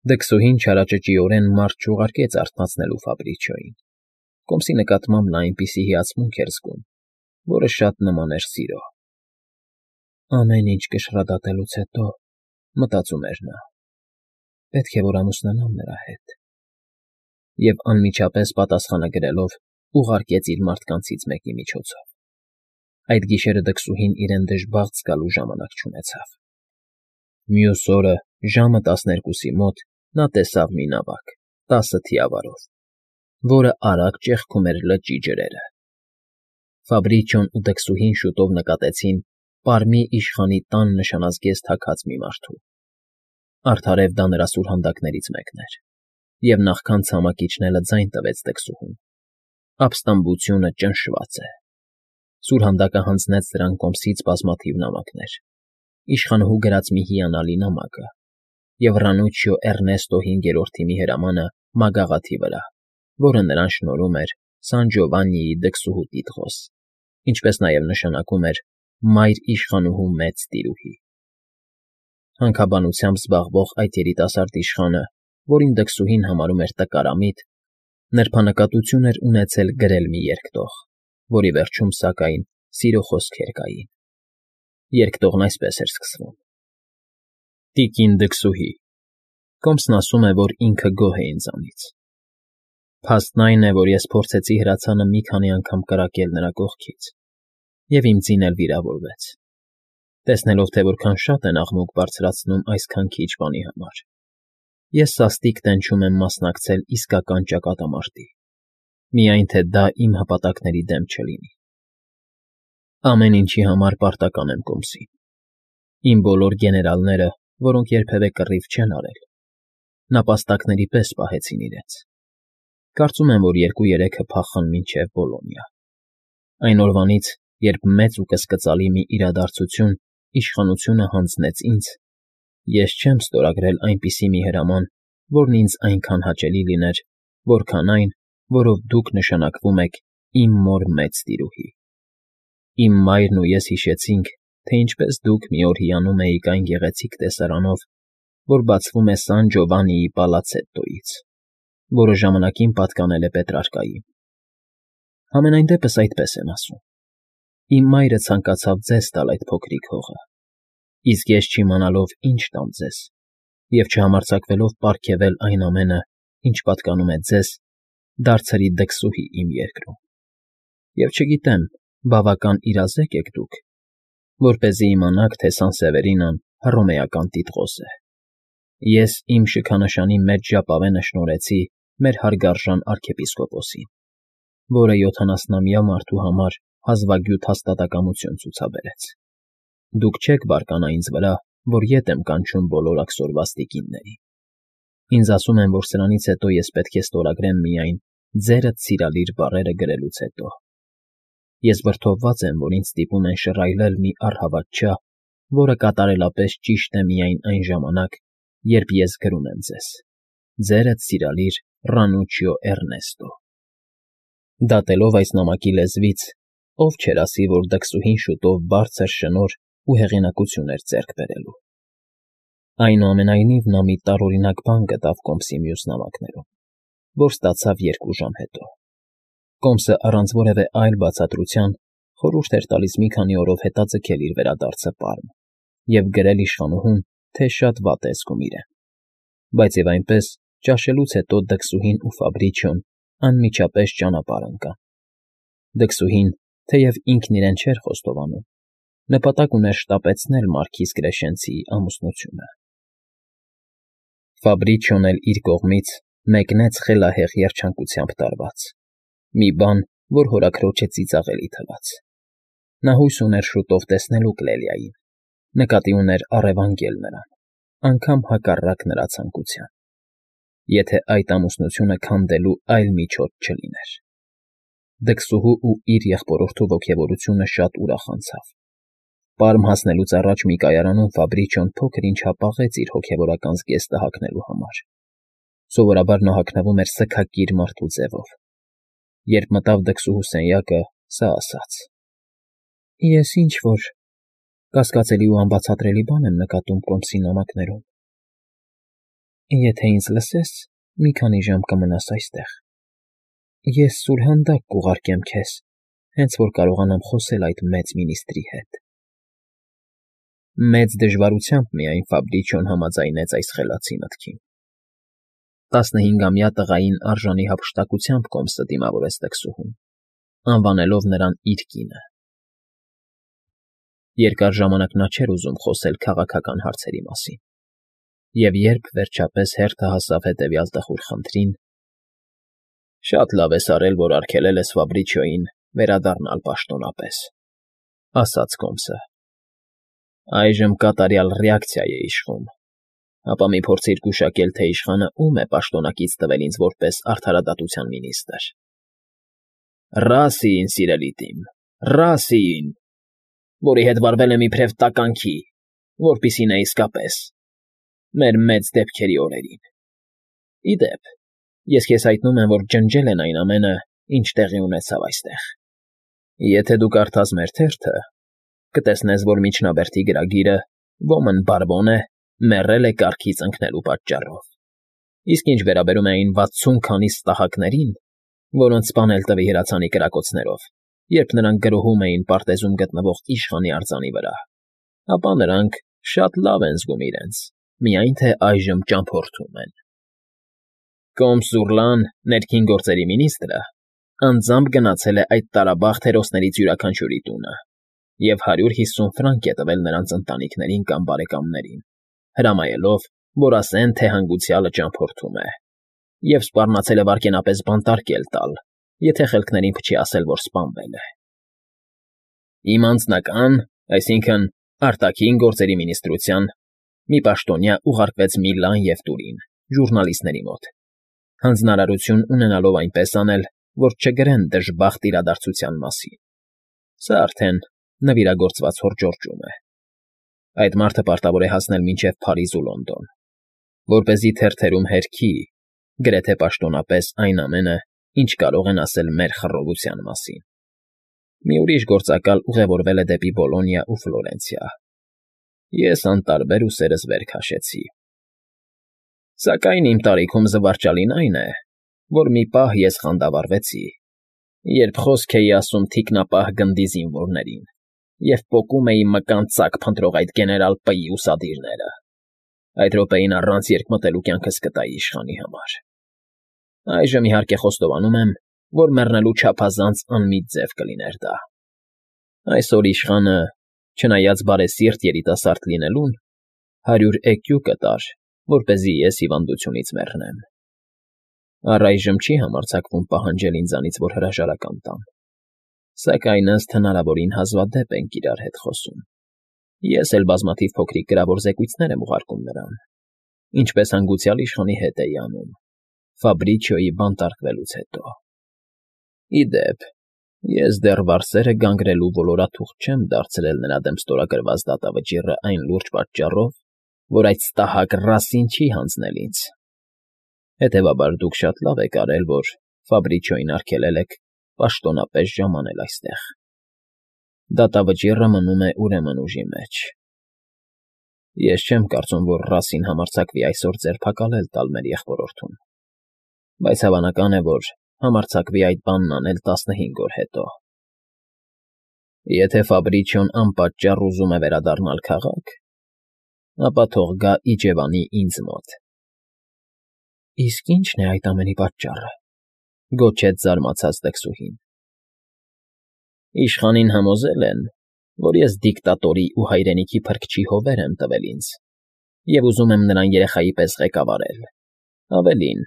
Դքսուհին չարաճճիորեն մարդ չուղարկեց արթնացնելու Ֆաբրիչիոյին. կոմսի նկատմամբ նա այնպիսի հիացմունք էր զգում, որը շատ նման էր սիրո։ «Ամեն ինչ կշռադատելուց հետո, ֊ մտածում էր նա, ֊ պետք է որ ամուսնանամ նրա հետ»։ Եվ անմիջապես պատասխանը գրելով ուղարկեց իր մարդկանցից մեկի միջոցով։ Այդ գիշերը դքսուհին իրեն դժբախտ զգալու ժամանակ չունեցավ։ Մյուս օրը ժամը 12-ի մոտ նա տեսավ մի նավակ 10 թիավարով, որը արագ ճեղքում էր լճի ջրերը։ Ֆաբրիչիոն ու դքսուհին շուտով նկատեցին Պարմի իշխանի տան նշանազգեստ հագած մի մարդու։ Արդարև դա նրա սուրհանդակներից մեկն էր, և նախքան ցամաք իջնելը ձայն տվեց դքսուհուն. ապստամբությունը ճնշված է։ Սուրհանդակը հանձնեց դրան կոմսից բազմաթիվ նամակներ, իշխանուհու գրած մի հիանալի նամակը և Ռանուչիո Էռնեստո հինգերորդի մի հրամանը մագաղաթի վրա, որը նրան շնորհում էր Սան Ջովաննիի դքսուհու տիտղոս, ինչպես նաև նշանակում էր մայր իշխանուհու մեծ տիրուհի։ Հանքաբանությամբ զբաղվող այդ երիտասարդ իշխանը, որին դքսուհին համարում էր տկարամիտ, նրբանկատություն էր ունեցել գրել մի երկտող, որի վերջում, սակայն, սիրո խոսքեր կային։ Երկտողն այսպես էր սկսվում. Տիկին դքսուհի, կոմսն ասում է, որ ինքը գոհ է ինձանից։ Փաստն այն է, որ ես փորձեցի հրացանը մի քանի անգամ կրակել նրա կողքից, և իմ ձին էլ վիրավորվեց։ Տեսնելով, թե որքան շատ են աղմուկ բարձրացնում այսքան քիչ բանի համար, ես սաստիկ տենչում եմ մասնակցել իսկական ճակատամարտի, միայն թե դա իմ հպատակների դեմ չլինի։ Ամեն ինչի համար պարտական եմ կոմսին։ Իմ բոլոր գեներալները, որոնք երբևէ կռիվ չեն արել, նապաստակների պես պահեցին իրենց։ Կարծում եմ, որ 2-3-ը փախան մինչև Բոլոնիա։ Այն օրվանից, երբ մեծ ու կսկծալի մի իրադարձություն իշխանությունը հանձնեց ինձ, ես չեմ ստորագրել այնպիսի մի հրաման, որն ինձ այնքան հաճելի լիներ, որքան այն, որով դուք նշանակվում եք իմ մոր մեծ տիրուհի։ Իմ մայրն ու ես հիշեցինք, թե ինչպես դուք մի օր հիանում էիք այն գեղեցիկ տեսարանով, որ բացվում է Սան Ջովաննիի պալացետտոյից, որը ժամանակին պատկանել է Պետրարկային։ Համենայն դեպս այդպես եմ ասում։ Իմ մայրը ցանկացավ ձեզ տալ այդ փոքրիկ հողը, իսկ ես չիմանալով ինչ տամ ձեզ, և չհամարձակվելով պարգևել այն ամենը, ինչ պատկանում է ձեզ, դարձրի դքսուհի իմ երկրում։ Եվ չգիտեմ, բավական իրազեկ եք դուք, որպեսզի իմանաք, թե Սանսևերինան հռոմեական տիտղոս է։ Ես իմ շքանշանի մեջ ժապավենը շնորհեցի մեր հարգարժան արքեպիսկոպոսին, որը 70-ամյա մարդու համար հազվագյուտ հաստատակամություն ցուցաբերեց։ Դուք չեք բարկանա ինձ վրա, որ ետ եմ կանչում բոլոր աքսորված տիկիններին։ Ինձ ասում են, որ սրանից հետո ես պետք է ստորագրեմ միայն «ձերդ սիրալիր» բառերը գրելուց հետո։ Ես վրդովված եմ, որ ինձ ստիպում են շռայլել մի առհավատ չափ, որը կատարելապես ճիշտ է միայն այն ժամանակ, երբ ես գրում եմ ձեզ. «Ձերդ սիրալիր Ռանուչիո Էռնեստո»։ Դատելով այս նամակի լեզվից, ով չէր ասի, որ դքսուհին շուտով բարձր շնորհ ու հեղինակություն էր ձեռք բերելու։ Այնուամենայնիվ նա մի տարօրինակ բան գտավ կոմսի մյուս նամակներում, որ ստացավ 2 ժամ հետո։ Կոմսը առանց որևէ այլ բացատրության խորհուրդ էր տալիս մի քանի օրով հետաձգել իր վերադարձը Պարմ և գրել իշխանուհուն, թե շատ վատ է զգում իրեն։ Բայց և այնպես, ճաշելուց հետո դքսուհին ու Ֆաբրիչիոն անմիջապես ճանապարհ ընկան։ Դքսուհին, թեև ինքն իրեն չէր խոստովանում, նպատակ ուներ շտապեցնել մարքիզ Կրեշենցիի ամուսնությունը։ Ֆաբրիչիոն էլ իր կողմից մեկնեց խելահեղ երջանկությամբ տարված, մի բան, որ հորաքրոջը ծիծաղելի թվաց։ Նա հույս ուներ շուտով տեսնելու Կլելիային, նկատի ուներ առևանգել նրան, անգամ հակառակ նրա ցանկության, եթե այդ ամուսնությունը քանդելու այլ միջոց չլիներ։ Դքսուհու ու իր եղբորորդու ոգևորությունը շատ ուրախացավ։ Պարմ հասնելուց առաջ մի կայարանում Ֆաբրիչիոն փոքր-ինչ հապաղեց իր հոգևորական զգեստը հագնելու համար։ Սովորաբար նա հագնվում էր սգակիր մարդու ձևով։ Երբ մտավ դքսուհու սենյակը, սա ասաց. «Ես ինչ֊որ կասկածելի ու անբացատրելի բան եմ նկատում կոմսի նամակներում»։ Եթե ինձ լսես, մի քանի ժամ կմնաս այստեղ։ Ես սուրհանդակ կուղարկեմ քեզ, հենց որ կարողանամ խոսել այդ մեծ մինիստրի հետ։ Մեծ դժվարությամբ միայն Ֆաբրիչիոն համաձայնեց այս խելացի մտքին։ 15-ամյա տղային արժանի հափշտակությամբ Կոմսը դիմավորեց տքսուհուն, անվանելով նրան իր կինը։ Երկար ժամանակ նա չէր ուզում խոսել քաղաքական հարցերի մասին, և երբ վերջապես հերթը հասավ հետևյալ տխուր խնդրին. «Շատ լավ ես արել, որ արգելել ես Ֆաբրիչիոյին վերադառնալ պաշտոնապես», ասաց Կոմսը։ «Այժմ կատարյալ ռեակցիա է իշխում, ապա մի փորձիր գուշակել, թե իշխանը ում է պաշտոնակից տվել ինձ որպես արդարադատության մինիստր»։ «Ռասիին, սիրելի Տիմ, Ռասիին, որի հետ վարվել եմ իբրև տականքի, որպիսի նա իսկապես մեր մեծ դեպքերի օրերին։ Ի դեպ, ես քեզ հայտնում եմ, որ ջնջել են այն ամենը, ինչ տեղի ունեցավ այստեղ։ Եթե դու կարդաս մեր թերթը, կտեսնես, որ միջնաբերդի գրագիրը ոմն բարբոն է, մեռել է կառքից ընկնելու պատճառով։ Իսկ ինչ վերաբերում է այն 60 քանի ստահակներին, որոնց սպանել տվի հրացանի կրակոցներով, երբ նրանք գրոհում էին պարտեզում գտնվող իշխանի արձանի վրա, ապա նրանք շատ լավ են զգում իրենց, միայն թե այժմ ճամփորդում են։ Կոմս Զուրլան, ներքին գործերի մինիստրը, անձամբ գնացել է այդ տարաբախտ հերոսներից յուրաքանչյուրի տունը և 150 ֆրանկ է տվել նրանց ընտանիքներին կամ բարեկամներին, հրամայելով, որ ասեն, թե հանգուցյալը ճամփորդում է, և սպառնացել է վայրկենապես բանտարկել տալ, եթե խելքներին փչի ասել, որ սպանվել է։ Իմ անձնական, այսինքն արտաքին գործերի մինիստրության մի պաշտոնյա ուղարկվեց Միլան և Տուրին ժուռնալիստների մոտ, հանձնարարություն ունենալով այնպես անել, որ չգրեն դժբախտ իրադարձության մասին։ Սա արդեն նվիրագործված հորջորջում է։ Այդ մարդը պարտավոր է հասնել մինչև Փարիզ ու Լոնդոն, որպեսզի թերթերում հերքի, գրեթե պաշտոնապես այն ամենը, ինչ կարող են ասել մեր խռովության մասին։ Մի ուրիշ գործակալ ուղևորվել է դեպի Բոլոնիա ու Ֆլորենցիա։ Ես անտարբեր ուսերս վեր քաշեցի։ Սակայն իմ տարիքում զվարճալին այն է, որ մի պահ ես խանդավառվեցի, երբ խոսք էի ասում թիկնապահ գնդի զինվորներին և պոկում էի մկան ծակ փնտրող այդ գեներալ П֊ի ուսադիրները։ Այդ րոպեին առանց երկմտելու կյանքս կտայի իշխանի համար։ Այժմ իհարկե խոստովանում եմ, որ մեռնելու չափազանց անմիտ ձև կլիներ դա։ Այսօր իշխանը, չնայած բարեսիրտ երիտասարդ լինելուն, 100 էկյու կտար, որպեսզի ես հիվանդությունից մեռնեմ։ Առայժմ չի համարձակվում պահանջել ինձանից, որ հրաժարական տամ, սակայն ըստ հնարավորին հազվադեպ ենք իրար հետ խոսում։ Ես էլ բազմաթիվ փոքրիկ գրավոր զեկույցներ եմ ուղարկում նրան, ինչպես հանգուցյալ իշխանի հետ էի անում, Ֆաբրիչիոյի բանտարկվելուց հետո։ Ի դեպ, ես դեռ վարսերը գանգրելու ոլորաթուղթ չեմ դարձրել նրա դեմ ստորագրված դատավճիռը այն լուրջ պատճառով, որ այդ ստահակ Ռասին չի հանձնել ինձ։ Հետևաբար դուք շատ լավ եք արել, որ Ֆաբրիչիոյին արգելել եք պաշտոնապես ժամանել այստեղ։ Դատավճիռը մնում է ուրեմն ուժի մեջ։ Ես չեմ կարծում, որ Ռասին համարձակվի այսօր ձերբակալել տալ մեր եղբորորդուն, բայց հավանական է, որ համարձակվի այդ բանն անել 15 օր հետո։ Եթե Ֆաբրիչիոն անպատճառ ուզում է վերադառնալ քաղաք, ապա թող գա իջևանի ինձ մոտ։ Իսկ ի՞նչն է այդ ամենի պատճառը, գոչեց զարմացած տքսուհին։ Իշխանին համոզել են, որ ես դիկտատորի ու հայրենիքի փրկչի հովեր եմ տվել ինձ և ուզում եմ նրան երեխայի պես ղեկավարել։ Ավելին,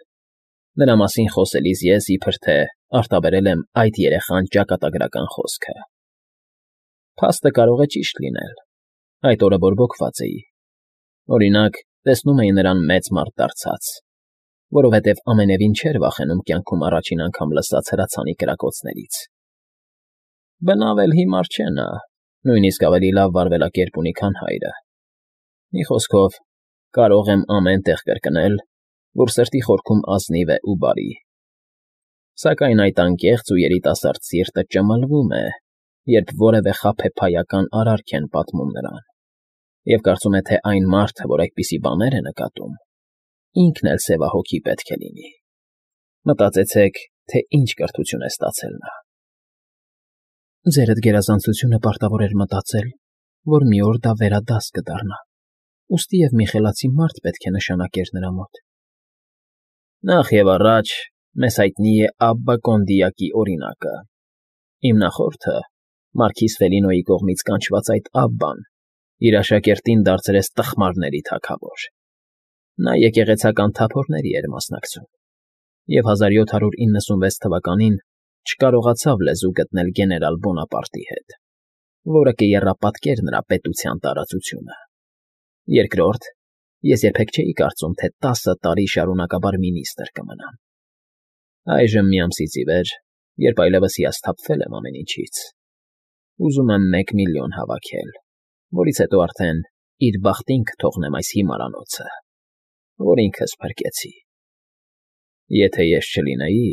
նրա մասին խոսելիս ես իբր թե արտաբերել եմ այդ երեխան ճակատագրական խոսքը։ Փաստը կարող է ճիշտ լինել, այդ օրը բորբոքված էի։ Օրինակ, տեսնում էի նրան մեծ մարդ դարձած, որովհետև ամենևին չէր վախենում կյանքում առաջին անգամ լսած հրացանի կրակոցներից։ Բնավ էլ հիմար չէ նա, նույնիսկ ավելի լավ վարվելակերպ ունի, քան հայրը։ Մի խոսքով, կարող եմ ամեն տեղ կրկնել, որ սրտի խորքում ազնիվ է ու բարի։ Սակայն այդ անկեղծ ու երիտասարդ սիրտը ճմլվում է, երբ որևէ խաբեբայական արարք են պատմում նրան, և կարծում է, թե այն մարդը, որ այդպիսի բաներ է նկատում, ինքն էլ սևահոգի պետք է լինի։ Մտածեցեք, թե ինչ կրթություն է ստացել նա։ Ձերդ գերազանցությունը պարտավոր էր մտածել, որ մի օր դա վերադաս կդառնա, ուստի և մի խելացի մարդ պետք է նշանակեր նրա մոտ։ Նախ և առաջ մեզ հայտնի է Աբբա Կոնդիակի օրինակը։ Իմ նախորդը, Մարքիզ Ֆելինոյի կողմից կանչված այդ Աբբան, իր աշակերտին դարձրեց տխմարների թագավոր։ Նա եկեղեցական թափորների էր մասնակցում և 1796 թվականին չկարողացավ լեզու գտնել գեներալ Բոնապարտի հետ, որը կեռապատկեր նրա պետության տարածությունը։ Երկրորդ, ես երբեք չէի կարծում, թե 10 տարի շարունակաբար մինիստր կմնամ։ Այժմ մի ամսից ի վեր, երբ այլևս հիասթափվել եմ ամեն ինչից, ուզում եմ 1 միլիոն հավաքել, որից հետո արդեն իր բախտին կթողնեմ այս հիմարանոցը, որ ինքս փրկեցի։ Եթե ես չլինեի,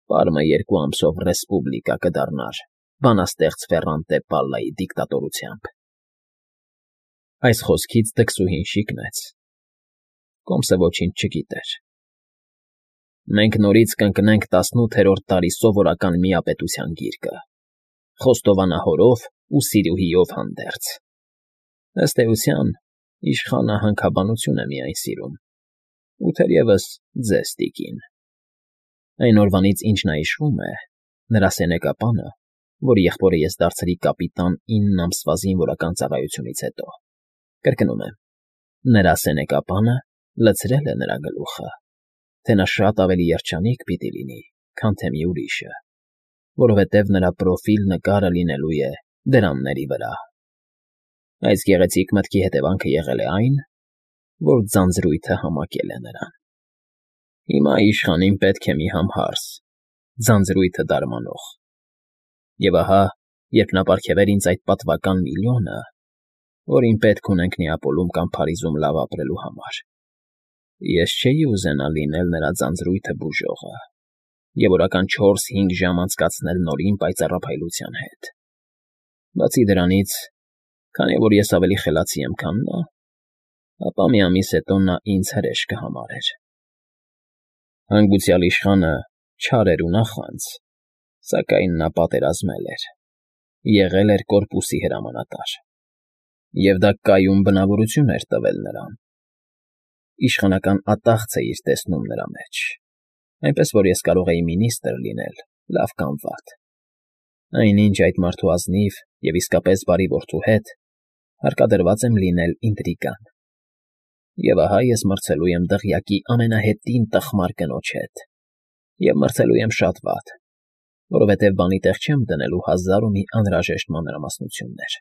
Պարմը 2 ամսով ռեսպուբլիկա կդառնար բանաստեղծ Ֆերրանտե Պալլայի դիկտատորությամբ։ Այս խոսքից դքսուհին շիկնեց։ Կոմսը ոչինչ չգիտեր։ Մենք նորից կընկնենք 18-րդ դարի սովորական միապետության գիրկը, խոստովանահորով ու սիրուհիով հանդերձ։ Ըստ էության, իշխանը հանքաբանություն է միայն սիրում, ու թերևս ձեզ, տիկին։ Այն օրվանից, ինչ նա իշխում է, նրա սենեկապանը, որ եղբորը ես դարձրի կապիտան 9 ամսվա զինվորական ծառայությունից հետո, կրկնում եմ, նրա սենեկապանը լցրել է նրա գլուխը, թե նա շատ ավելի երջանիկ պիտի լինի, քան թե մի ուրիշը, որովհետև նրա պրոֆիլ նկարը լինելու է դրամների վրա։ Այս գեղեցիկ մտքի հետևանքը եղել է այն, որ ձանձրույթը համակել է նրան։ Հիմա իշխանին պետք է մի համհարս, ձանձրույթը դարմանող։ Եվ ահա, երբ նա պարգևեր ինձ այդ պատվական միլիոնը, որին պետք ունենք Նեապոլում կամ Փարիզում լավ ապրելու համար, ես չէի ուզենա լինել նրա ձանձրույթը բուժողը և օրական 4-5 ժամ անցկացնել նորին պայծառափայլության հետ։ Բացի դրանից, քանի որ ես ավելի խելացի եմ, քան նա, ապա մի ամիս հետո նա ինձ հրեշ կհամարեր։ Հանգուցյալ իշխանը չար էր ու նախանձ, սակայն նա պատերազմել էր, եղել էր կորպուսի հրամանատար, և դա կայուն բնավորություն էր տվել նրան։ Իշխանական ատաղձ էիր տեսնում նրա մեջ, այնպես որ ես կարող էի մինիստր լինել, լավ կամ վատ։ Այնինչ այդ մարդու ազնիվ և իսկապես բարի որդու հետ հարկադրված եմ լինել ինտրիգան։ Եվ ահա ես մրցելու եմ դղյակի ամենահետին տխմար կնոջ հետ, և մրցելու եմ շատ վատ, որովհետև բանի տեղ չեմ դնելու 1000 ու մի անհրաժեշտ մանրամասնություններ։